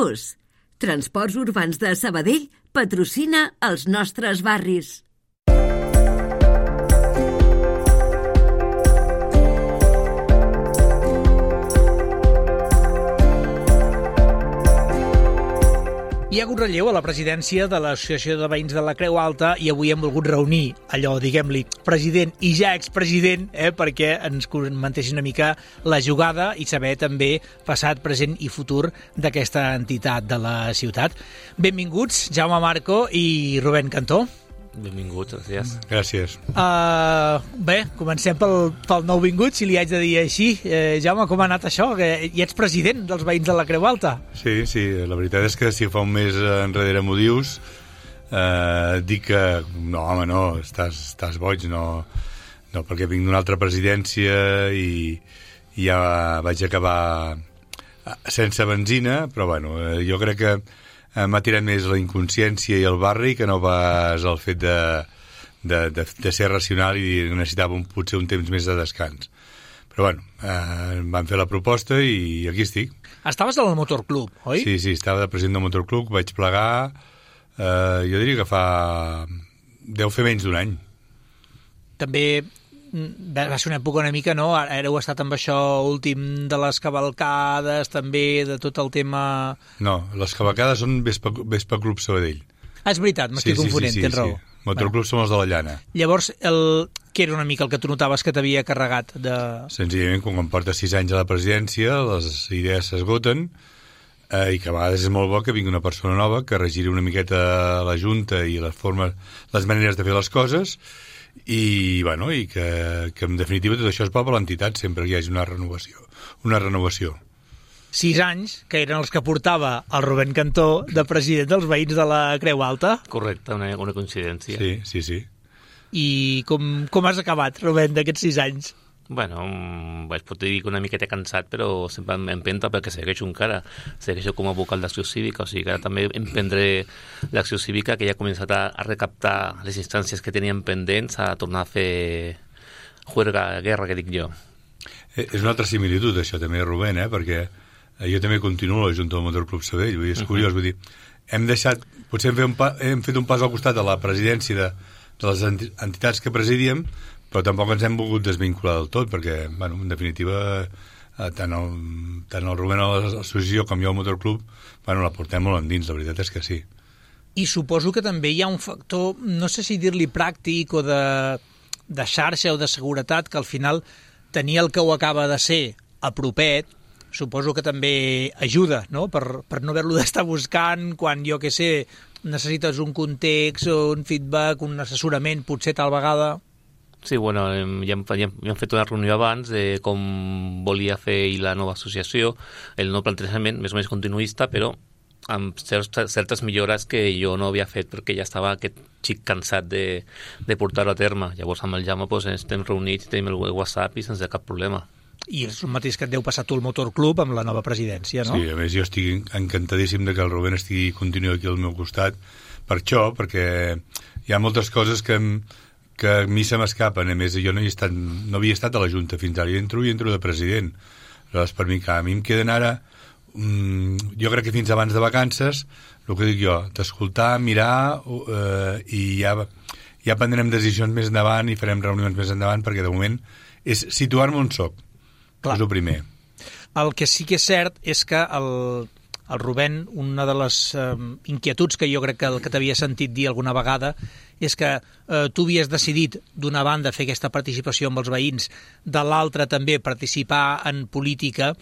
Plus. Transports Urbans de Sabadell patrocina els nostres barris. Hi ha hagut relleu a la presidència de l'Associació de Veïns de la Creu Alta i avui hem volgut reunir allò, diguem-li, president i ja expresident, perquè ens comentessin una mica la jugada i saber també passat, present i futur d'aquesta entitat de la ciutat. Benvinguts, Jaume Marco i Rubén Cantó. Benvinguts, gràcies. Gràcies. Bé, comencem pel nouvingut, si li haig de dir així. Jaume, com ha anat això? Que ja ets president dels Veïns de la Creu Alta. Sí, la veritat és que si fa un mes enrere m'ho dius, dic que no, home, no, estàs boig, no, perquè vinc d'una altra presidència i ja vaig acabar sense benzina, però bueno, jo crec que m'ha tirat més la inconsciència i el barri que no pas el fet de ser racional i necessitava potser un temps més de descans. Però bueno, van fer la proposta i aquí estic. Estaves al motorclub, oi? Sí, estava de president del motorclub, vaig plegar, jo diria que deu fer menys d'un any. També va ser una època una mica, no? Ara heu estat amb això últim de les cavalcades, també de tot el tema... No, les cavalcades són Vespa Club Sabadell. És veritat, m'estic confonent, tens raó. Motorclub són els de la Llana. Llavors, què era una mica el que tu notaves que t'havia carregat de... Senzillament, quan portes 6 anys a la presidència, les idees s'esgoten i que a vegades és molt bo que vingui una persona nova que regiri una miqueta la Junta i les maneres de fer les coses i que en definitiva tot això és bo per l'entitat sempre que hi hagi una renovació. 6 anys, que eren els que portava el Rubén Cantó de president dels Veïns de la Creu Alta. Correcte, una coincidència. Sí. I com has acabat, Rubén, d'aquests 6 anys? Bueno, pot dir que una miqueta cansat, però sempre m'empenta perquè segueixo encara. Segueixo com a vocal d'acció cívica, o sigui que ara també emprendré l'acció cívica, que ja ha començat a recaptar les instàncies que teníem pendents, a tornar a fer guerra, que dic jo. És una altra similitud, això també, Rubén, perquè jo també continuo a la Junta del Motorclub Sabadell, vull dir, és curiós, vull dir, potser hem fet un pas al costat de la presidència de les entitats que presidíem, però tampoc ens hem volgut desvincular del tot, perquè, en definitiva, tant el Rubén a l'associació com jo al motorclub, la portem molt endins, la veritat és que sí. I suposo que també hi ha un factor, no sé si dir-li pràctic o de xarxa o de seguretat, que al final tenir el que ho acaba de ser a propet, suposo que també ajuda, no? Per no haver-lo d'estar buscant quan, jo què sé, necessites un context o un feedback, un assessorament, potser tal vegada... Sí, bueno, ja hem fet una reunió abans de com volia fer la nova associació, el nou plantejament, més o menys continuista, però amb certes millores que jo no havia fet perquè ja estava aquest xic cansat de portar-ho a terme. Llavors amb el Jaume estem reunits, tenim el WhatsApp i sense cap problema. I és el mateix que et deu passar tu al motorclub amb la nova presidència, no? Sí, a més jo estic encantadíssim de que el Rubén continuï aquí al meu costat per això, perquè hi ha moltes coses que a mi se m'escapen. A més, jo no havia estat a la Junta fins ara, i entro de president. Aleshores, per mi, a mi em queden ara, jo crec que fins abans de vacances, el que dic jo, d'escoltar, mirar, i ja prendrem decisions més endavant i farem reunions més endavant, perquè de moment és situar-me on soc. Clar. És el primer. El que sí que és cert és que el Rubén, una de les inquietuds que jo crec que t'havia sentit dir alguna vegada és que tu havies decidit d'una banda fer aquesta participació amb els veïns, de l'altra també participar en política.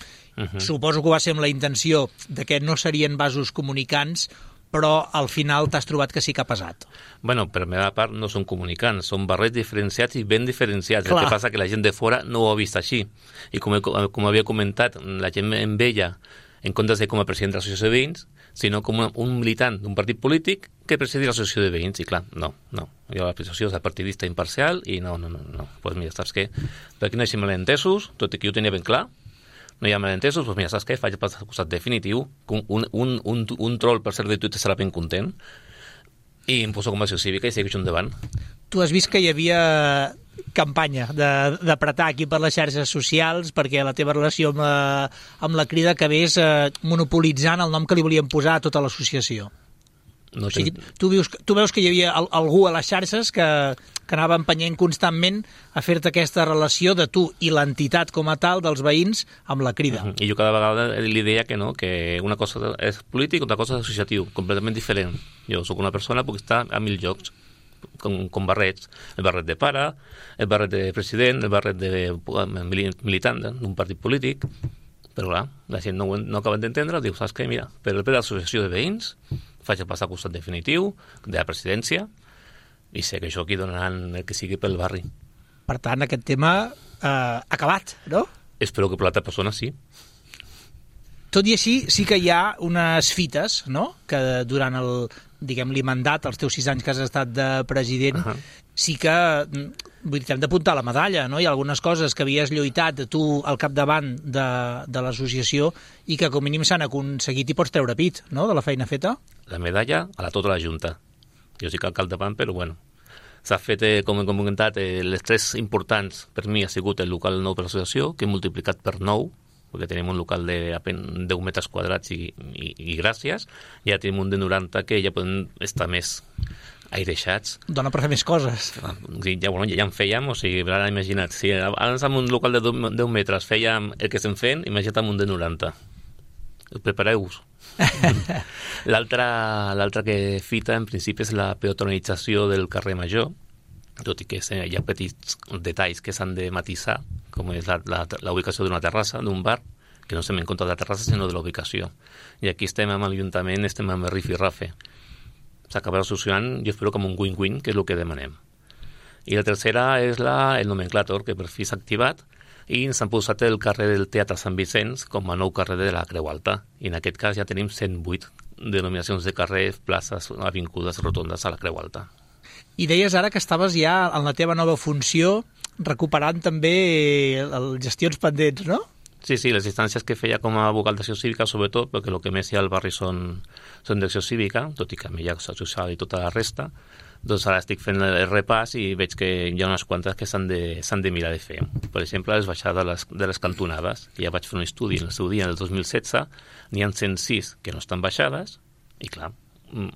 Suposo que va ser amb la intenció de que no serien vasos comunicants, però al final t'has trobat que sí que ha pesat. Bueno, per la meva part no són comunicants, són barrets diferenciats i ben diferenciats. Clar. El que passa que la gent de fora no ho ha vist així. I com havia comentat, la gent em veia en comptes de com a president de l'associació de veïns, sinó com un militant d'un partit polític que presideix l'associació de veïns. I clar, no. Jo l'associació és partidista imparcial i no. Pues mira, saps què? Per aquí no hi ha malentesos, tot i que jo ho tenia ben clar, no hi ha malentesos, doncs mira, saps què? Faig el costat definitiu, un troll per ser de Twitter serà ben content, i em poso com a acció cívica i segueixo endavant. Tu has vist que hi havia campanya d'apretar aquí per les xarxes socials perquè la teva relació amb la Crida acabés monopolitzant el nom que li volien posar a tota l'associació. No o sigui, tu veus que hi havia algú a les xarxes que anava empenyent constantment a fer-te aquesta relació de tu i l'entitat com a tal dels veïns amb la Crida. I jo cada vegada li deia que no, que una cosa és polític, una cosa és associatiu, completament diferent. Jo sóc una persona, puc estar a 1000 llocs, com barrets. El barret de pare, el barret de president, el barret de militant d'un partit polític, però clar, la gent no acaben d'entendre, diu, saps què, mira, per el ple de l'associació de veïns faig el pas al costat definitiu de la presidència i sé que això aquí donaran el que sigui pel barri. Per tant, aquest tema acabat, no? Espero que per l'altra persona sí. Tot i així, sí que hi ha unes fites, no?, que durant el mandat, els teus 6 anys que has estat de president, sí que vull dir, t'hem d'apuntar la medalla, no? Hi ha algunes coses que havies lluitat tu al capdavant de l'associació i que com a mínim s'han aconseguit i pots treure pit, no?, de la feina feta. La medalla a tota la Junta. Jo sí que al capdavant, però bueno. S'ha fet, com hem comentat, les 3 importants per mi ha sigut el local nou per l'associació, que he multiplicat per 9, perquè tenim un local de 10 metres quadrats i gràcies, ja tenim un de 90 que ja poden estar més aireixats. Dona per fer més coses. Sí, ja en fèiem, o sigui, ara imagina't, si abans amb un local de 10 metres fèiem el que estem fent, imagina't amb un de 90. Prepareu-vos. L'altra que fita, en principi, és la peatonalització del carrer Major, tot i que hi ha petits detalls que s'han de matisar, com és la ubicació d'una terrassa, d'un bar, que no estem en compte de la terrassa, sinó de la ubicació. I aquí estem amb l'Ajuntament, estem amb el rifirrafe. S'acabarà solucionant, jo espero, com un win-win, que és el que demanem. I la tercera és el nomenclàtor, que per fi s'ha activat, i ens han posat el carrer del Teatre Sant Vicenç com a nou carrer de la Creu Alta. I en aquest cas ja tenim 108 denominacions de carrers, places, avingudes, rotondes a la Creu Alta. I deies ara que estaves ja en la teva nova funció recuperant també les gestions pendents, no? Sí, les instàncies que feia com a vocal d'acció cívica, sobretot, perquè el que més hi ha al barri són d'acció cívica, tot i que a mi hi ha social i tota la resta, doncs ara estic fent el repàs i veig que hi ha unes quantes que s'han de mirar de fer. Per exemple, les baixades de les cantonades, que ja vaig fer un estudi en el seu dia, en el 2016, n'hi ha 106 que no estan baixades, i clar,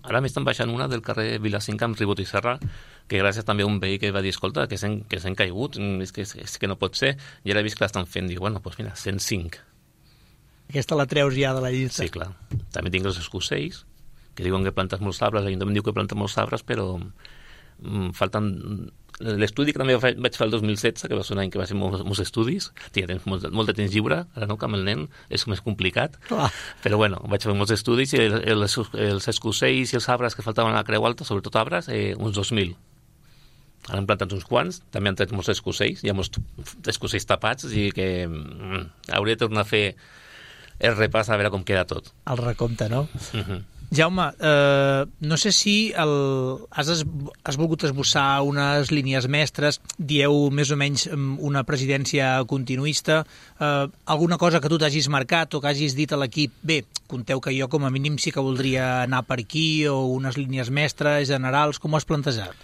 ara m'estan baixant una del carrer Vilacinca amb Ribot i Serra, que gràcies també a un veí que va dir, escolta, que s'han caigut, és que no pot ser, i ara he vist que l'estan fent, dic, bueno, doncs mira, 105. Aquesta la treus ja de la llista. Sí, clar. També tinc els escussells, que diuen que plantes molts arbres, l'Ajuntament diu que planta molts arbres, però falten... L'estudi que també vaig fer el 2016, que va ser un any que va ser molts estudis, ja tens molt de temps lliure, ara no, que amb el nen és més complicat, però bueno, vaig fer molts estudis i els escussells i els arbres que faltaven a la Creu Alta, sobretot arbres, uns 2.000. Ara han plantat uns quants, també han tret molts escussells, hi ha molts escussells tapats, i que hauria de tornar a fer el repàs a veure com queda tot. El recompte, no? Jaume, no sé si has volgut esbossar unes línies mestres, dieu més o menys una presidència continuista, alguna cosa que tu t'hagis marcat o que hagis dit a l'equip, bé, conteu que jo com a mínim sí que voldria anar per aquí, o unes línies mestres generals, com ho has plantejat?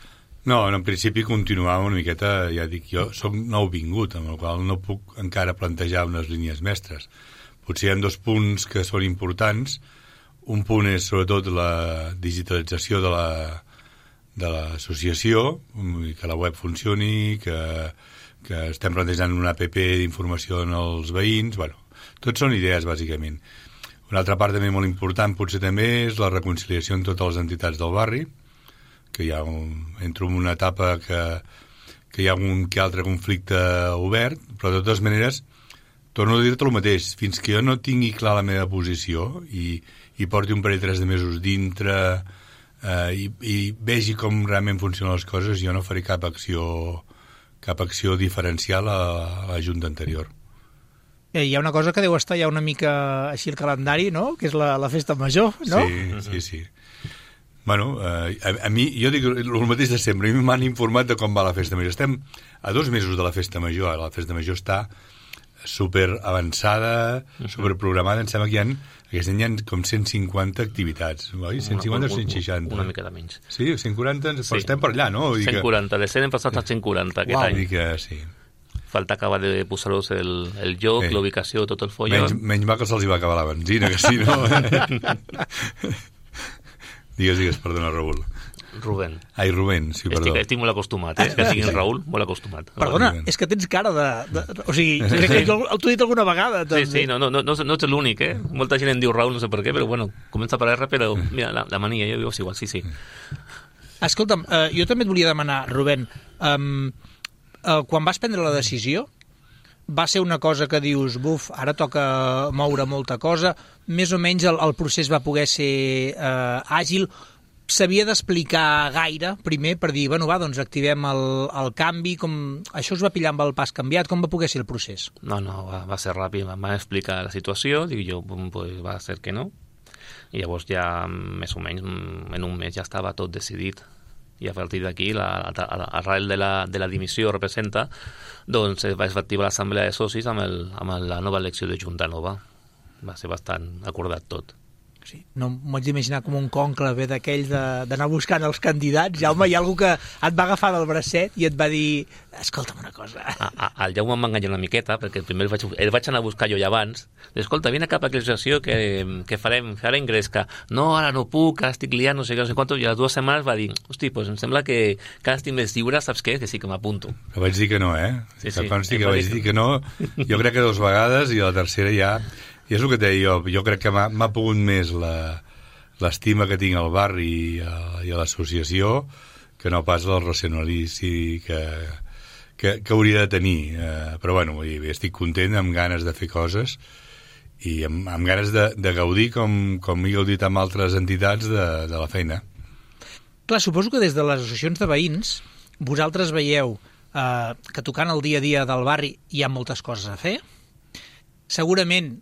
No, en principi continuava una miqueta, ja dic, jo soc nouvingut, amb el qual no puc encara plantejar unes línies mestres. Potser hi ha 2 punts que són importants. Un punt és sobretot la digitalització de l'associació, que la web funcioni, que estem plantejant una app d'informació en els veïns. Bueno, tot són idees, bàsicament. Una altra part també molt important potser també és la reconciliació amb totes les entitats del barri, que hi ha entro en una etapa que hi ha un que altre conflicte obert, però de totes maneres torno a dir-te el mateix, fins que jo no tingui clar la meva posició i porti un parell 3 de mesos dintre i vegi com realment funcionen les coses, jo no faré cap acció diferencial a la Junta anterior. Hi ha una cosa que deu estar ja una mica així el calendari, no?, que és la festa major, no? Sí. Bueno, a mi, jo dic el mateix de sempre, a mi m'han informat de com va la festa major. Estem a 2 mesos de la festa major, la festa major està super avançada, superprogramada. Em sembla que aquest any hi ha com 150 activitats, oi? 150 o 160? Una mica de menys. Sí, 140, però estem per allà, no? 140, de 100 hem passat a 140 aquest any. Vull dir que sí. Falta acabar de posar-vos el lloc, l'ubicació, tot el follon. Menys mal que se'ls va acabar la benzina, que si no... Digues, perdona, Raül. Rubén. Ai, Rubén, sí, perdó. Estic molt acostumat, que diguin Raül, molt acostumat. Perdona, és que tens cara de... O sigui, crec que t'ho he dit alguna vegada. També. Sí, no ets l'únic, eh? Molta gent em diu Raül, no sé per què, però bueno, comença per R, però mira, la mania, jo diu igual, sí. Escolta'm, jo també et volia demanar, Rubén, quan vas prendre la decisió, va ser una cosa que dius, buf, ara toca moure molta cosa, més o menys el procés va poder ser àgil, s'havia d'explicar gaire primer per dir, bueno, va, doncs activem el canvi, com això us va pillar amb el pas canviat, com va poder ser el procés? No, va ser ràpid, em van explicar la situació, dic jo, pues va ser que no, i llavors ja més o menys en un mes ja estava tot decidit. I a partir d'aquí, arrel de la dimissió representa, doncs es va activar l'assemblea de socis amb la nova elecció de Junta Nova. Va ser bastant acordat tot. Sí, no m'ho haig d'imaginar com un conclave d'aquells d'anar buscant els candidats. Jaume, hi ha algú que et va agafar del bracet i et va dir, escolta'm una cosa. El Jaume em va enganyar una miqueta, perquè primer el vaig anar a buscar jo ja abans. Escolta, vine cap a aquella sessió que farem ingrés, que no, ara no puc, ara estic liant, no sé quant, i a les 2 setmanes va dir, hosti, doncs em sembla que cada estic més lliure, saps què? Que sí que m'apunto. Que vaig dir que no, eh? Sí, que consti que vaig dir que no, jo crec que 2 vegades, i a la tercera ja... I és el que et deia jo crec que m'ha pogut més l'estima que tinc al barri i a l'associació que no pas el racionalici que hauria de tenir. Però bueno, estic content, amb ganes de fer coses i amb ganes de gaudir, com he gaudit amb altres entitats, de la feina. Clar, suposo que des de les associacions de veïns vosaltres veieu que tocant el dia a dia del barri hi ha moltes coses a fer. Segurament,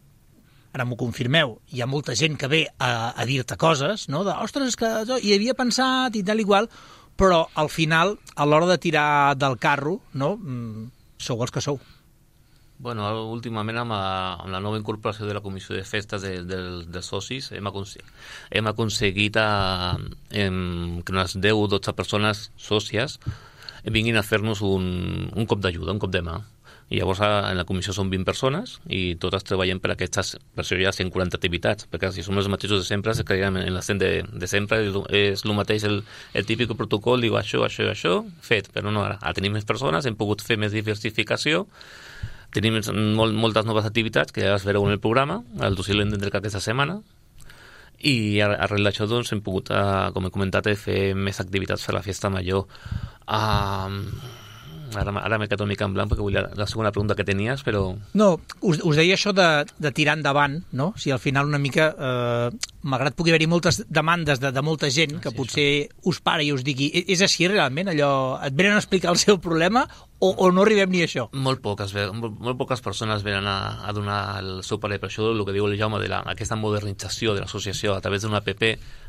ara m'ho confirmeu, hi ha molta gent que ve a dir-te coses, no? Ostres, que hi havia pensat i tal i qual, però al final, a l'hora de tirar del carro, no? Sou els que sou. Bueno, últimament amb la nova incorporació de la Comissió de Festes dels socis hem aconseguit que unes 10 o 12 persones sòcies vinguin a fer-nos un cop d'ajuda, un cop de mà. I llavors en la comissió són 20 persones i totes treballem per aquestes, per això hi ha 140 activitats, perquè si som els mateixos de sempre, es creiem en la 100 de sempre, és el mateix el típic protocol, diu això, fet, però no, ara tenim més persones, hem pogut fer més diversificació, tenim moltes noves activitats que ja les veureu en el programa, el dossier l'entendré aquesta setmana, i arrel d'això doncs hem pogut, com he comentat, fer més activitats per la festa major. Ara m'he quedat una mica en blanc perquè vull la segona pregunta que tenies, però... No, us deia això de tirar endavant, no? Si al final una mica, malgrat pugui haver-hi moltes demandes de molta gent que potser us para i us digui, és així realment allò? Et venen a explicar el seu problema o no arribem ni a això? Molt poques persones venen a donar el seu parer, per això el que diu el Jaume aquesta modernització de l'associació a través d'una app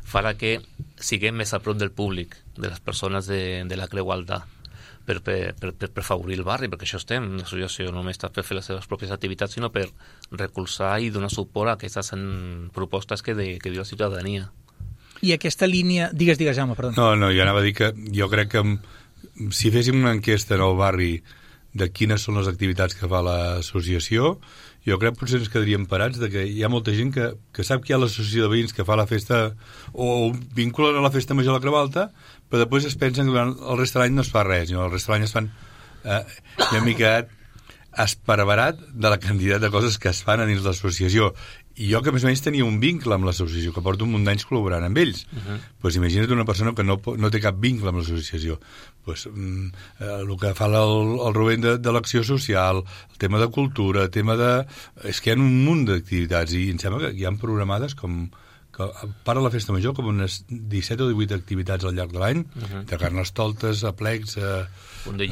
farà que siguem més a prop del públic, de les persones de la Creu Alta, per favorir el barri, perquè això estem, l'associació no només està per fer les seves pròpies activitats, sinó per recolzar i donar suport a aquestes propostes que diu la ciutadania. I aquesta línia... Digues, Jaume, perdó. No, jo anava a dir que jo crec que si féssim una enquesta en el barri de quines són les activitats que fa l'associació, jo crec que potser ens quedaríem parats de que hi ha molta gent que sap que hi ha l'associació de veïns que fa la festa o vinculen a la festa major a la Creu Alta, però després es pensen que durant el rest de l'any no es fa res, el rest de l'any es fan... Jo m'he quedat esparverat de la quantitat de coses que es fan a dins l'associació. I jo que més o menys tenia un vincle amb l'associació, que porto un munt d'anys col·laborant amb ells. Pues imagina't una persona que no té cap vincle amb l'associació. Pues, el que fa el Rubén de l'acció social, el tema de cultura, el tema de... És que hi ha un munt d'activitats i em sembla que hi ha programades com... a part de la festa major, com unes 17 o 18 activitats al llarg de l'any, de carnestoltes, aplecs, punts de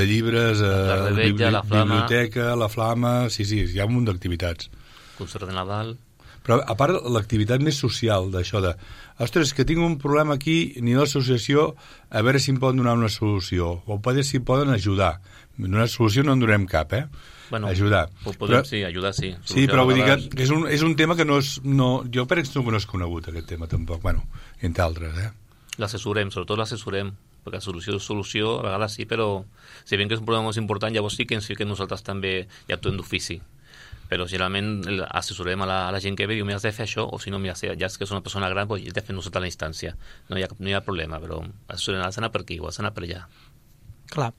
llibres, la rebetlla, la flama, biblioteca, la flama, sí, hi ha un munt d'activitats. Concert de Nadal. Però a part l'activitat més social d'això de, ostres, que tinc un problema aquí, ni l'associació, a veure si em poden donar una solució, o potser si em poden ajudar. Donar solució no en donem cap, Bueno, ajudar. Podem, sí, ajudar, sí. Sí, però vull dir que és un tema que no és... Jo per exemple no és conegut, aquest tema, tampoc. Bueno, entre altres, L'assessorem, sobretot l'assessorem, perquè solució, a vegades sí, però si veiem que és un problema molt important, llavors sí que ens fiquem nosaltres també i actuem d'ofici. Però generalment assessorem a la gent que ve i diu, mira, has de fer això, o si no, mira, ja és que és una persona gran, doncs has de fer nosaltres a la instància. No hi ha problema, però assessorem, has d'anar per aquí o has d'anar per allà. Clar.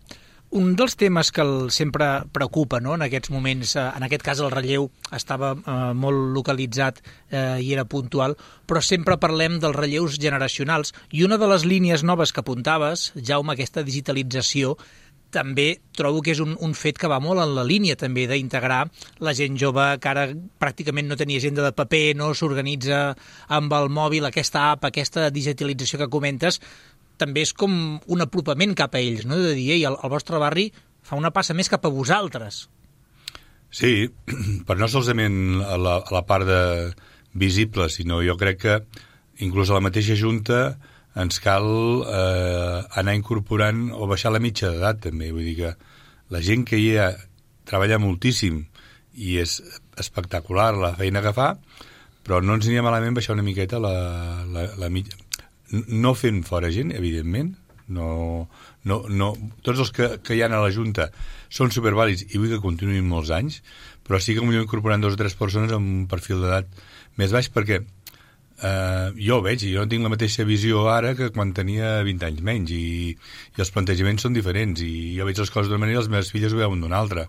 Un dels temes que sempre preocupa, no?, en aquests moments, en aquest cas el relleu estava molt localitzat i era puntual, però sempre parlem dels relleus generacionals. I una de les línies noves que apuntaves, Jaume, aquesta digitalització, també trobo que és un fet que va molt en la línia també d'integrar la gent jove que ara pràcticament no tenia agenda de paper, no s'organitza amb el mòbil, aquesta app, aquesta digitalització que comentes, també és com un apropament cap a ells, no?, de dir, ei, el vostre barri fa una passa més cap a vosaltres. Sí, però no solament a la part visible, sinó jo crec que inclús a la mateixa Junta ens cal anar incorporant o baixar la mitja d'edat també, vull dir que la gent que hi ha treballa moltíssim i és espectacular la feina que fa, però no ens aniria malament baixar una miqueta la mitja. No fent fora gent, evidentment, no, tots els que hi ha a la Junta són supervàlids i vull que continuïn molts anys, però sí que millor incorporant 2 o 3 persones amb un perfil d'edat més baix, perquè jo ho veig, jo no tinc la mateixa visió ara que quan tenia 20 anys menys, i els plantejaments són diferents, i jo veig les coses d'una manera i les meves filles ho veuen d'una altra.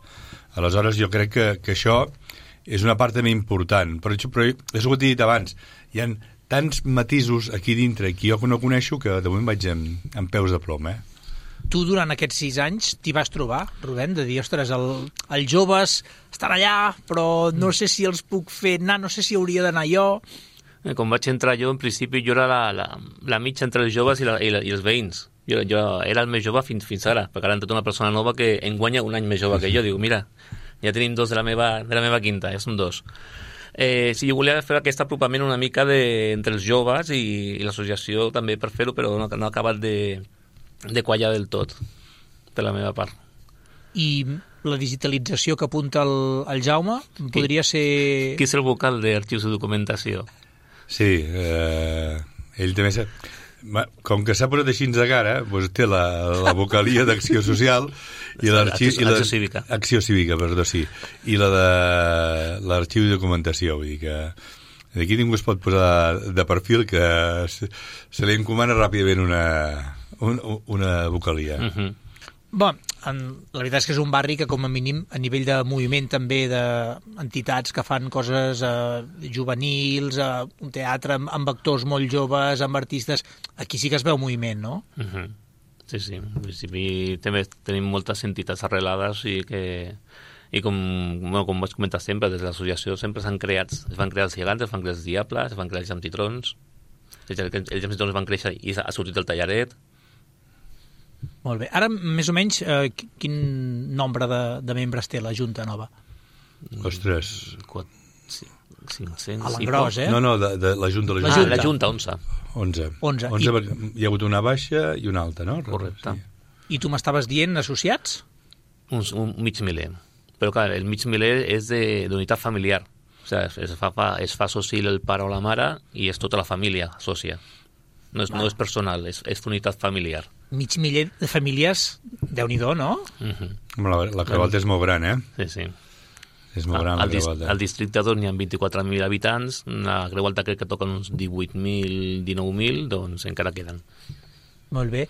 Aleshores jo crec que això és una part també important, però és el que t'he dit abans, hi ha tants matisos aquí dintre que jo no coneixo que de moment vaig amb peus de plom, Tu durant aquests 6 anys t'hi vas trobar, Rubén, de dir, ostres, els joves estan allà, però no sé si els puc fer anar, no sé si hauria d'anar jo. Com vaig entrar jo, en principi jo era la mitja entre els joves i els veïns. Jo era el més jove fins ara, perquè ara han tota una persona nova que en guanya un any més jove que jo. Dic, mira, ja tenim 2 de la meva quinta, ja són 2. Sí, jo volia fer aquest apropament una mica entre els joves i l'associació també per fer-ho, però no ha acabat de quallar del tot, per la meva part. I la digitalització que apunta el Jaume podria ser... Qui és el vocal d'arxius de documentació? Sí, ell també... Com que s'ha posat així de cara, doncs té la vocalia d'Acció Social i Acció Cívica. Acció Cívica, perdó, sí. I la de l'Arxiu de Documentació, vull dir que d'aquí ningú es pot posar de perfil que se li encomana ràpidament una vocalia. Bé, la veritat és que és un barri que com a mínim a nivell de moviment també d'entitats que fan coses juvenils, un teatre amb actors molt joves, amb artistes, aquí sí que es veu moviment, no? Sí, sí, en principi també tenim moltes entitats arrelades i com vaig comentar sempre, des de l'associació sempre es van crear els gegants, es van crear els diables, es van crear els jamtitrons, els jamtitrons van créixer i ha sortit el tallaret. Molt bé. Ara, més o menys, quin nombre de membres té la Junta nova? Ostres. 500. A l'engròs, No, de la Junta. La Junta, 11. 11. Hi ha hagut una baixa i una alta, no? Correcte. I tu m'estaves dient associats? Un mig miler. Però, clar, el mig miler és d'unitat familiar. O sigui, es fa soci el pare o la mare i és tota la família sòcia. No és personal, és unitat familiar. Mig miler de famílies, Déu-n'hi-do, no? La Creu Alta és molt gran, Sí, sí. És molt gran la Creu Alta. Al districte n'hi ha 24.000 habitants, la Creu Alta crec que toquen uns 18.000, 19.000, doncs encara queden. Molt bé.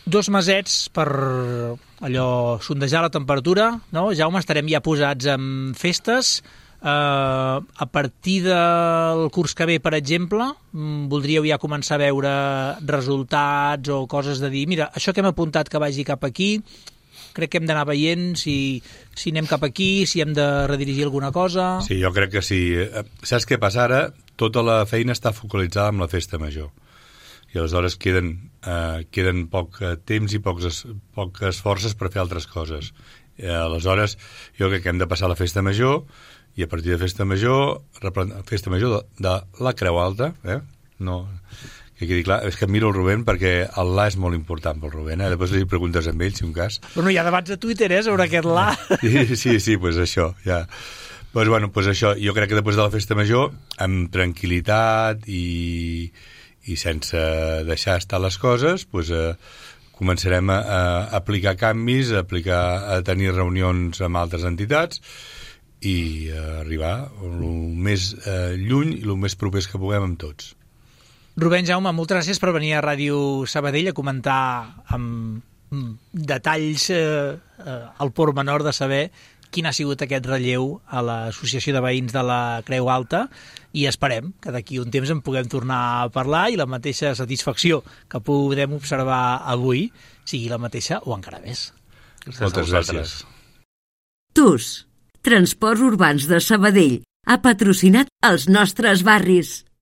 2 mesets per allò sondejar la temperatura, no? Jaume, estarem ja posats en festes. A partir del curs que ve, per exemple, voldríeu ja començar a veure resultats o coses de dir, mira, això que hem apuntat que vagi cap aquí, crec que hem d'anar veient si anem cap aquí, si hem de redirigir alguna cosa... Sí, jo crec que sí. Saps què passa ara? Tota la feina està focalitzada en la festa major. I aleshores queden poc temps i poques forces per fer altres coses. Aleshores, jo crec que hem de passar la festa major i a partir de festa major de la Creu Alta, no, Que quedi clar, és que em miro el Rubén perquè el la és molt important pel Rubén, Després li preguntes amb ell, si un cas. Bueno, hi ha debats a Twitter, sobre aquest la. Sí, pues això, ja. Pues això, jo crec que després de la festa major, amb tranquil·litat i sense deixar estar les coses, pues, començarem a aplicar canvis, a tenir reunions amb altres entitats i arribar el més lluny i el més propers que puguem amb tots. Rubén, Jaume, moltes gràcies per venir a Ràdio Sabadell a comentar amb detalls al pormenor de saber quin ha sigut aquest relleu a l'Associació de Veïns de la Creu Alta i esperem que d'aquí un temps en puguem tornar a parlar i la mateixa satisfacció que podem observar avui sigui la mateixa o encara més. Moltes gràcies. TUS, Transports Urbans de Sabadell, ha patrocinat els nostres barris.